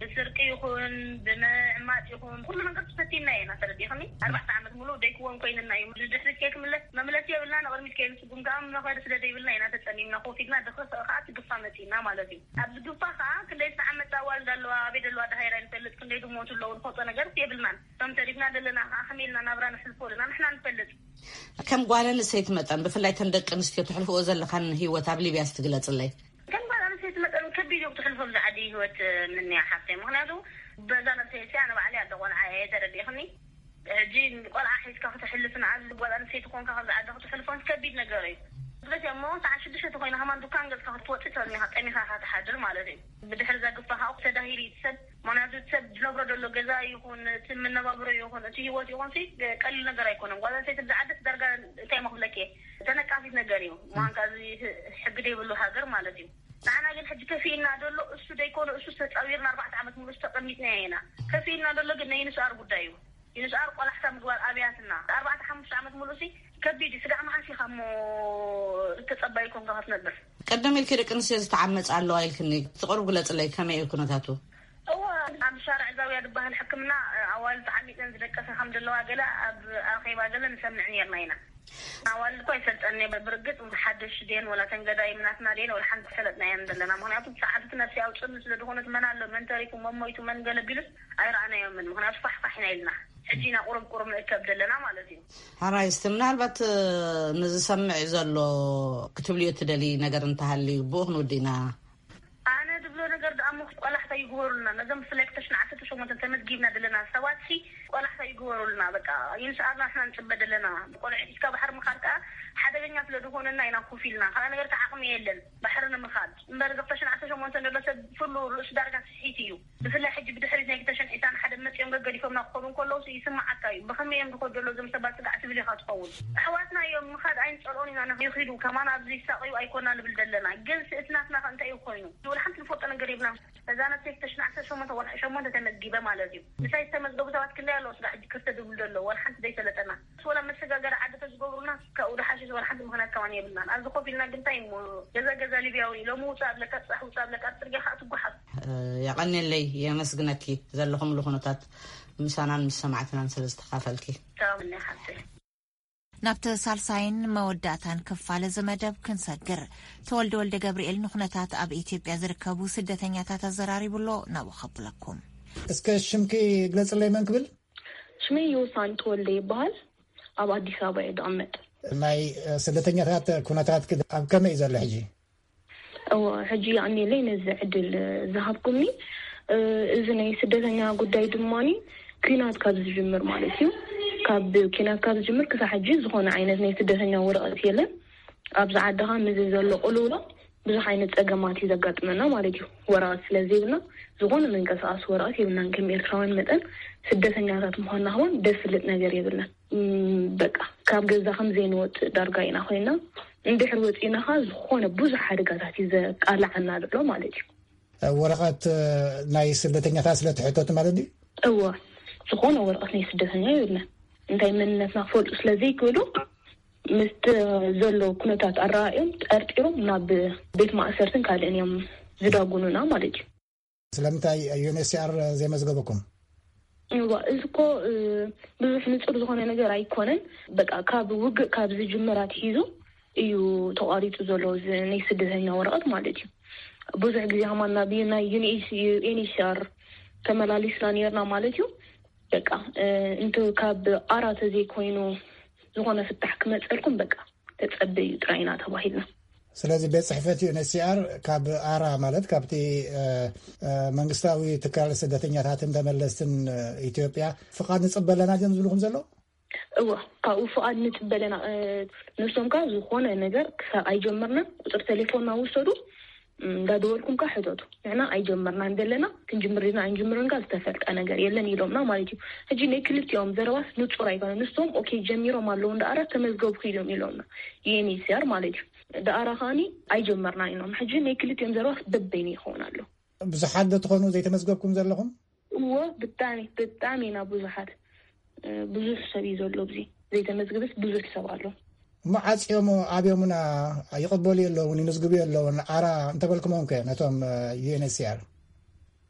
ብስርቂ ይኹን፣ ብምዕማጽ ይኹን፣ ኩሉ ነገር ተፈቲና ኢና። ተረዲእኽኒ? ኣርባዕተ ዓመት ሙሉእ ደይክወን ኮይንና እዩ። ንድሕሪት ከይክምለስ መምለሲ የብልና፣ ንቕድሚት ከይንስጉም ከኣ መኸዲ ስለ ዘይብልና ኢና ተጸሚምና ኮፍ ኢልና፣ ድሕሪ ከኣ እቲ ግፋ መጺእና ማለት እዩ። ኣብዚ ግፋ ከኣ ክንደይ ዝተዓመጻ ኣዋልድ ኣለዋ፣ ኣበይ ዘለዋ ደሃይራ ይንፈልጥ፣ ክንደይ ዝሞቱ ኣለዉ፣ ንፈልጦ ነገርስ የብልናን። ከም ተሪፍና ዘለና ከኣ ከመይ ኢልና ናብራ ነሕልፎ ኣለና ንሕና ንፈልጥ። ከም ጓል ኣንስተይቲ መጠን፣ ብፍላይ ተን ደቂ ኣንስትዮ ተሕልፍኦ ዘለኻን ህይወት ኣብ ሊብያ እስቲ ግለጽለይ። ከም ጓል ኣንስተይቲ መጠን ከቢድ እዩ ክትሕልፎ ኣብዚ ዓዲ ህይወት፣ ምንያ ሓፍተይ። ምኽንያቱ በዛ ነብሰይ እስያ ንባዕለይ ኣደ ቆልዓ እየ፣ ተረዲእኽኒ? ሕጂ ቆልዓ ሒዝካ ክተሕልፍን ኣብዚ ጓል ኣንስተይቲ ኮንካ ካብዚ ዓዲ ክትሕልፎን ከቢድ ነገር እዩ። ስለዚ እሞ ሰዓት ሽዱሽተ ተኾይኑ ከማን ዱካን ገዝካ ክትወጽእ ተርሚኻ ጠሚኻ ኢኻ ትሓድር ማለት እዩ። ብድሕሪ እዛ ግፋ ከዓ ተዳሂሉ እዩ እቲ ሰብ። ምኽንያቱ እቲ ሰብ ዝነብሮ ዘሎ ገዛ ይኹን፣ እቲ መነባብሮ ይኹን፣ እቲ ህይወት ይኹን ሲ ቀሊል ነገር ኣይኮነን። ጓል ኣንስተይቲ ኣብዚ ዓዲ ዳርጋ እንታይ እሞ ክብለኪ እየ፣ ተነቃፊት ነገር እዩ። ምዃንካ እዚ ሕጊ ዘይብሉ ሃገር ማለት እዩ። ንዓና ግን ሕጂ ከፊእና ዘሎ እሱ ደይኮነ፣ እሱ ተጻዊርና ኣርባዕተ ዓመት ሙሉእ ተቐሚጥና ኢና። ከፊእና ዘሎ ግን ናይ ንስኣር ጉዳይ እዩ። ንስኣር ቆላሕታ ምግባር ኣብያትና ኣርባዕተ ሓሙሽተ ዓመት ሙሉእ ሲ ከቢድ እዩ። ስጋዕ መዓስ ኢኻ እሞ ተጸባይ ኮንካ ክትነብር? ቀደም ኢልኪ ደቂ ኣንስትዮ ዝተዓመጻ ኣለዋ ኢልክኒ። እቲ ቁሩብ ግለጽለይ፣ ከመይ እዩ ኩነታቱ? እወ፣ ኣብ ሻርዕ ዛውያ ዝበሃል ሕክምና ኣዋልድ ተዓሚጸን ዝደቀሳ ከም ዘለዋ ገለ ኣብ ኣኼባ ገለ ንሰምዕ ኔርና ኢና። ኣዋልድ እኮ ኣይፈልጠን እየ ብርግጽ፣ ሓደሽ ድየን ወላ ተን ገዳይም ናትና ድየን ወላ ሓንቲ ፈለጥናየን ዘለና። ምኽንያቱ ብሰዓቱ እቲ ነብሲ ኣውጽእኒ ስለ ዝኾነት መን ኣሎ፣ መን ተሪፉ፣ መን ሞይቱ፣ መን ገለ ቢሉስ ኣይረኣናዮምን። ምኽንያቱ ፋሕ ፋሕ ኢና ኢልና። ሕጂ ኢና ቁሩብ ቁሩብ ንእከብ ዘለና ማለት እዩ። ሓራይ እስቲ ምናልባት ንዝሰምዕ ዘሎ ክትብልዮ ትደሊ ነገር እንተሃልዩ ብኡ ክንውድእ ኢና። ኣነ ዝብሎ ነገር ደኣ እሞ ቆላሕታ ይግበሩልና። ነዞም ብፍላይ ክልተ ሽሕን ዓሰርተ ሸሞንተን ተመዝጊብና ዘለና ሰባት ሲ ቆላሕታ ይግበሩልና። በቃ ይንስኣና ንሕና ንጽበ ዘለና። ብቆልዑ ሒዝካ ባሕሪ ምኻድ ከኣ ሓደገኛ ስለ ዝኾነና ኢና ኮፍ ኢልና። ካልእ ነገር ከ ዓቕሚ የለን ባሕሪ ንምኻድ። እምበር እዚ ክልተ ሽሕን ዓሰርተ ሸሞንተን ዘሎ ሰብ ኩሉ ርእሱ ዳርጋ ስሒት እዩ። ብፍላይ ሕጂ ብድሕሪት ናይ ክልተ ሽሕን ዕስራን ሓደን መጺኦም ገገዲፎምና ክኸዱ እንከለዉ ሲ ይስምዓካ እዩ። ብኸመይ እዮም ዝኸዱ ዘለዉ እዞም ሰባት ስጋዕ ትብል ኢኻ ትኸውን። ኣሕዋትና እዮም፣ ምኻድ ኣይንጸልኦን ኢና፣ ንኽ-፣ ይኺዱ ከማን ኣብዚ ይሳቐዩ ኣይኮና ንብል ዘለና። ግን ሲ እቲ ናትና ከ እንታይ እዩ ኮይኑ? ወላ ሓንቲ ንፈልጦ ነገር የብልናን። እዛ ነብሰይ ክልተ ሽሕን ዓሰርተ ሸሞንተ ወርሒ ሸሞንተ ተመዝጊበ ማለት እዩ። ምሳይ ዝተመዝገቡ ሰባት ክንደይ ኣለዉ ስጋዕ ሕጂ ክልተ ዝብሉ ዘለዉ፣ ወላ ሓንቲ ዘይፈለጠና። ወላ መሰጋገሪ ዓዲ ተዝገብሩልና ካብኡ ዝሓሸ ወላ ሓንቲ ምኽንያት ከማን የብልናን። ኣብዚ ኮፍ ኢልና ግን እንታይ እሞ ገዛ ገዛ ሊብያዊ ሎሚ ውጻእ ኣብለካ፣ ጽባሕ ውጻእ ኣብለካ፣ ኣብ ጽርግያ ከኣ ትጓሓፍ። የቐንየለይ፣ የመስግነኪ ዘለኹምሉ ኩነታት ምሳናን ምስ ሰማዕትናን ስለ ዝተኻፈልኪ። ሰላም እኒ ሓፍተይ። ናብቲ ሳልሳይን መወዳእታን ክፋል እዚ መደብ ክንሰግር፣ ተወልደ ወልደ ገብርኤል ንኩነታት ኣብ ኢትዮጵያ ዝርከቡ ስደተኛታት ኣዘራሪቡ ኣሎ። ናብኡ ከብለኩም። እስከ ሽምኪ ግለጽለይ፣ መን ክብል? ሽመይ ዮሳን ተወልደ ይበሃል። ኣብ ኣዲስ ኣበባ እየ ዝቕመጥ። ናይ ስደተኛታት ኩነታት ኣብ ከመይ እዩ ዘሎ ሕጂ? እወ፣ ሕጂ የቐንየለይ ነዚ ዕድል ዝሃብኩምኒ። እዚ ናይ ስደተኛ ጉዳይ ድማኒ ኲናት ካብ ዝጅምር ማለት እዩ። ካብ ኲናት ካብ ዝጅምር ክሳብ ሕጂ ዝኾነ ዓይነት ናይ ስደተኛ ወረቐት የለን። ኣብዚ ዓድኻ ምስ ዘሎ ቅልውላው ብዙሕ ዓይነት ጸገማት እዩ ዘጋጥመና ማለት እዩ። ወረቐት ስለ ዘይብልና ዝኾነ መንቀሳቐሲ ወረቐት የብልናን። ከም ኤርትራውያን መጠን ስደተኛታት ምዃንና ከማን ደስልጥ ነገር የብልናን። እም፣ በቃ ካብ ገዛ ከም ዘይንወጽእ ዳርጋ ኢና ኮይና። እንድሕር ወጺእና ኸኣ ዝኾነ ብዙሕ ሓደጋታት እዩ ዘቃልዓና ዘሎ ማለት እዩ። ወረቐት ናይ ስደተኛታት ስለ ትሕተቱ ማለት ድዩ? እወ፣ ዝኾነ ወረቐት ናይ ስደተኛ የብልናን። እንታይ መንነትና ክፈልጡ ስለ ዘይክእሉ፣ ምስቲ ዘሎ ኩነታት ኣረኣእዮም ጠርጢሮም ናብ ቤት ማእሰርትን ካልእን እዮም ዝዳጉኑና ማለት እዩ። ስለምንታይ ዩ ኤን ኤች ሲ ኣር ዘይመዝገበኩም? እዋ፣ እዚ እኮ፣ እ፣ ብዙሕ ንጹር ዝኾነ ነገር ኣይኮነን። በቃ፣ ካብ ውግእ ካብ ዝጅምር ኣትሒዙ እዩ ተቋሪጹ ዘሎ፣ እዚ ናይ ስደተኛ ወረቐት ማለት እዩ። ብዙሕ ግዜ ከማን ናብ ዩ-፣ ናይ ዩ ኤን ኤች ሲ ኣር ተመላሊስና ነርና ማለት እዩ። በቃ፣ እ፣ እንተ ካብ ኣራ ተዘይኮይኑ ዝኾነ ፍታሕ ክመጸልኩም፣ በቃ፣ ተጸበዩ ጥራይ ኢና ተባሂልና። ስለዚ ቤት ጽሕፈት ዩ ኤን ኤች ሲ ኣር ካብ ኣራ፣ ማለት ካብቲ፣ እ፣ እ፣ መንግስታዊ ትካል ስደተኛታትን ተመለስትን፣ እ፣ ኢትዮጵያ ፍቓድ ንጽበ ኣለና ድዮም ዝብልኩም ዘለዉ? እወ፣ ካብኡ ፍቓድ ንጽበ ኣለና። እ፣ ንሶም ከኣ ዝኾነ ነገር ክሳብ ኣይጀመርናን ቁጽሪ ቴሌፎንና ውሰዱ፣ እም፣ እንዳደወልኩም ከኣ ሕተቱ። ንሕና ኣይጀመርናን ዘለና፣ ክንጅምር ኢና ኣይንጅምርን ከኣ ዝተፈልጠ ነገር የለን ኢሎምና ማለት እዩ። ሕጂ ናይ ክልቲኦም ዘረባስ ንጹር ኣይኮነን። ንሶም ኦኬ ጀሚሮም ኣለዉ፣ እንዳኣራ ተመዝገብኩ ኢሎም ኢሎምና፣ ዩ ኤን ኤች ሲ ኣር ማለት እዩ። ዳኣራ ከኣኒ ኣይጀመርናን ኢሎም። ሕጂ ናይ ክልቲኦም ዘረባስ በበይኑ ይኸውን ኣሎ። ብዙሓት ዶ ትኾኑ ዘይተመዝገብኩም ዘለኹም? እዎ፣ ብጣዕሚ፣ ብጣዕሚ ኢና ብዙሓት። እ፣ ብዙሕ ሰብ እዩ ዘሎ ኣብዚ። ዘይተመዝግብስ ብዙሕ ሰብ ኣሎ። እሞ ዓጽዮሞ ኣብዮምና ይቕበሉ የለውን፣ ይምዝግቡ የለውን፣ ኣራ እንተበልኩሞም ከ ነቶም፣ እ፣ ዩ ኤን ኤች ሲ ኣር?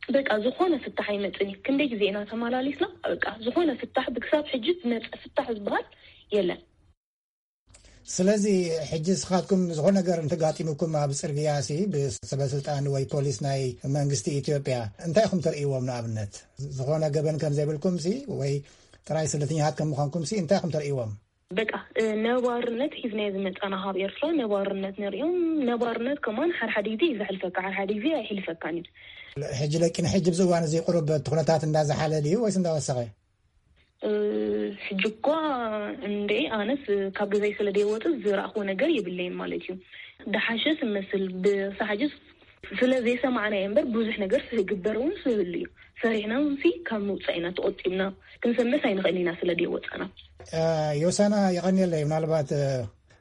በቃ፣ ዝኾነ ፍታሕ ኣይመጽእን እዩ። ክንደይ ግዜ ኢና ተመላሊስና፣ በቃ፣ ዝኾነ ፍታሕ፣ ብክሳብ ሕጂ ዝመጸ ፍታሕ ዝበሃል የለን። ስለዚ ሕጂ ንስኻትኩም ዝኾነ ነገር እንተጋጢሙኩም ኣብ ጽርግያ ሲ ብሰበ ስልጣን ወይ ፖሊስ ናይ መንግስቲ ኢትዮጵያ እንታይ ኢኹም ተርእይዎም? ንኣብነት ዝኾነ ገበን ከም ዘይብልኩም ሲ ወይ ጥራይ ስደተኛታት ከም ምዃንኩም ሲ እንታይ ኢኹም ተርእይዎም? በቃ፣ እ፣ ነባርነት ሒዝናዮ ዝመጻና ካብ ኤርትራ ነባርነት ንርእዮም። ነባርነት ከማን ሓደ ሓደ ግዜ እዩ ዘሕልፈካ፣ ሓደ ሓደ ግዜ ኣይሕልፈካን እዩ። ሕጂ ለኪ ንሕጂ ኣብዚ እዋን እዚ ቁሩብ እቲ ኩነታት እንዳዝሓለ ድዩ ወይስ እንዳወሰኸ? እ፣ ሕጂ እኳ እንዴ፣ ኣነስ ካብ ገዛይ ስለ ደይወጽእ ዝረኣኽዎ ነገር የብለይን ማለት እዩ። ደሓሸ ስመስል ብሳሕጅስ ስለ ዘይሰማዕናዮ እምበር ብዙሕ ነገር ስግበር እውን ስህሉ እዩ። ፈሪሕና እውን ሲ ካብ ምውጻእ ኢና ተቖጢብና። ክንሰምዕስ ኣይንኽእል ኢና ስለ ደይወጻና። እ፣ ዮሳና የቐንየለይ። ምናልባት፣ እ፣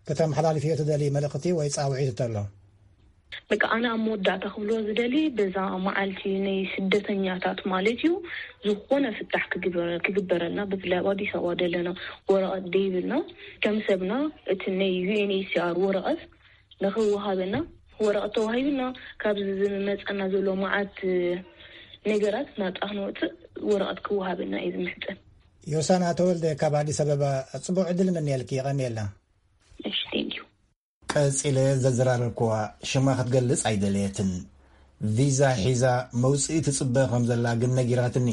ከተመሓላልፍዮ ትደሊ መልእኽቲ ወይ ጻውዒት እንተሎ? በቃ፣ ኣነ ኣብ መወዳእታ ክብሎ ዝደሊ፣ በዛ መዓልቲ ናይ ስደተኛታት ማለት እዩ፣ ዝኾነ ፍታሕ ክግበረ-፣ ክግበረልና፣ ብፍላይ ኣብ ኣዲስ ኣበባ ዘለና ወረቐት ደይብልና፣ ከም ሰብና እቲ ናይ ዩ ኤን ኤች ሲ ኣር ወረቐት ንኽወሃበና፣ ወረቐት ተዋሂብና፣ ካብዚ ዝመጸና ዘሎ መዓት ነገራት ናጻ ክንወጽእ ወረቐት ክወሃበና እየ ዝምሕጸን። ዮሳና ተወልደ ካብ ኣዲስ ኣበባ፣ ጽቡቕ ዕድል እምነየልኪ፣ የቐንየልና። እሺ፣ thank you። ቀጺለ ዘዘራረብክዋ ሽማ ክትገልጽ ኣይደለየትን። ቪዛ ሒዛ መውጽኢ ትጽበ ከም ዘላ ግን ነጊራትኒ።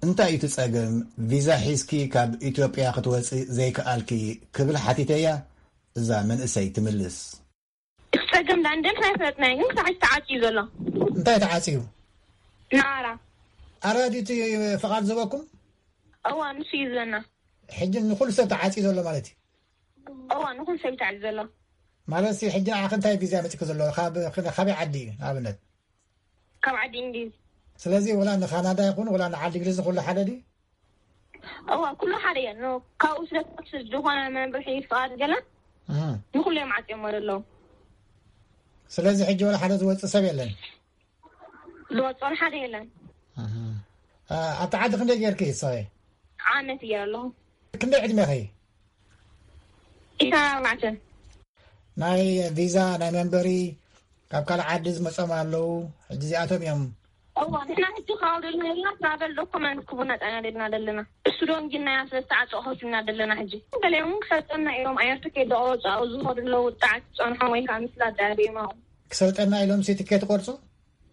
እንታይ እዩ እቲ ጸገም? ቪዛ ሒዝኪ ካብ ኢትዮጵያ ክትወጺ ዘይከኣልኪ? ክብል ሓቲተያ። እዛ መንእሰይ ትምልስ። እቲ ጸገም ዳኣ እንደን ኣይፈለጥናዮ፣ ግን ክሳዕ ሕጂ ተዓጽዩ ዘሎ። እንታይ ተዓጽዩ? ንኣራ። ኣራ ድዩ እቲ ፍቓድ ዝህበኩም? እዋ፣ ንሱ እዩ ዝህበና። ሕጂ ንኹሉ ሰብ ተዓጽዩ ዘሎ ማለት እዩ? እዋ፣ ንኹሉ ሰብ እዩ ተዓጽዩ ዘሎ። ማለት ሲ፣ ሕጂ ንዓኺ እንታይ ቪዛ መጺእኪ ዘሎ? ካብ፣ ካበይ ዓዲ እዩ ንኣብነት? ካብ ዓዲ እንግሊዝ። ስለዚ ወላ ንካናዳ ይኹን ወላ ንዓዲ እንግሊዝ ኩሉ ሓደ ድዩ? እዋ፣ ኩሉ ሓደ እየ። ን-፣ ካብኡ ስለ ዝኾነ መምርሒ ፍቓድ ገለ እህ። ንኹሉ እዮም ዓጽዮሞ ዘለዉ። ስለዚ ሕጂ ወላ ሓደ ዝወጽእ ሰብ የለን? ዝወጽእ ወላ ሓደ የለን። እህ። ኣ-፣ ኣብቲ ዓዲ ክንደይ ጌርኪ ንስኺ? ዓመት እየ ኣለኹ። ክንደይ ዕድሜኺ? ኢሳን ኣርባዕተን። ናይ ቪዛ፣ ናይ መንበሪ፣ ካብ ካልእ ዓዲ ዝመጾም ኣለዉ። ሕጂ እዚኣቶም እዮም። እዋ፣ ንሕና ሕጂ ካብ ደለና ትራቨል ዶኩመንት ክቡና ጣና ደልና ደለና። እሱ ዶ እንጂ ናይ ኣስለስተ ዓጾ ኾሽና ደለና ሕጂ። ገሊኦም ክሰልጠና ኢሎም ኣየር ትኬት ዝቆረጹ ኣብኡ ዝኸዱ ኣለዉ። ጣዕቲ ጸንሖም ወይ ከዓ ምስላ ዳሪማ። ክሰልጠና ኢሎም ሲ ትኬት ይቆርጹ?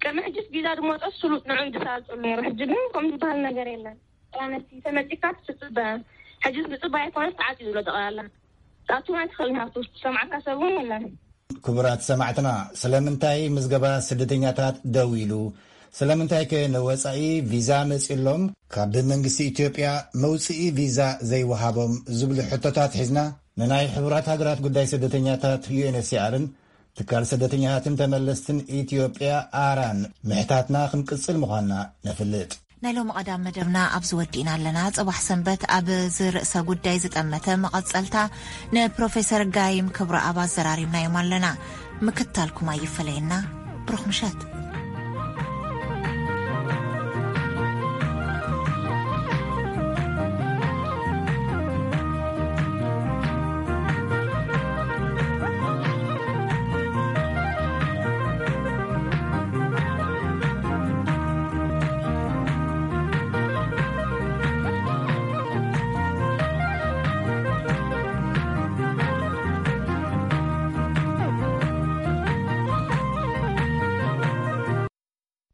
ቅድሚ ሕጂስ ቪዛ ዝመጾ ስሉጥ ንዑ ይድሳልጡ ነይሩ። ሕጂ ግን ከምኡ ዝበሃል ነገር የለን። ጥራነቲ ተመጺካ ትጽበ። ሕጂስ ምጽባይ ኣይኮነስ ተዓጽዩ ዘሎ ጠቕላላ። ጣቱና ትኽእል ናቱ ዝሰማዕካ ሰብ እውን የለን። ክቡራት ሰማዕትና፣ ስለምንታይ ምዝገባ ስደተኛታት ደው ኢሉ? ስለምንታይከ ንወጻኢ ቪዛ መጺሎም? ካብ መንግስቲ ኢትዮጵያ መውጽኢ ቪዛ ዘይወሃቦም ዝብሉ ሕቶታት ሒዝና ንናይ ሕቡራት ሃገራት ጉዳይ ስደተኛታት ዩ ኤን ኤች ሲ ኣርን ትካል ስደተኛታትን ተመለስትን ኢትዮጵያ ኣራን ምሕታትና ክንቅጽል ምዃንና ነፍልጥ። ናይ ሎሚ ቀዳም መደብና ኣብዚ ወዲእና ኣለና። ጽባሕ ሰንበት ኣብ ዝርእሰ ጉዳይ ዝጠመተ መቐጸልታ ንፕሮፌሰር ጋይም ክብረኣብ ኣዘራሪብናዮም ኣለና። ምክታልኩም ኣይፈለየና። ብሩኽ ምሸት።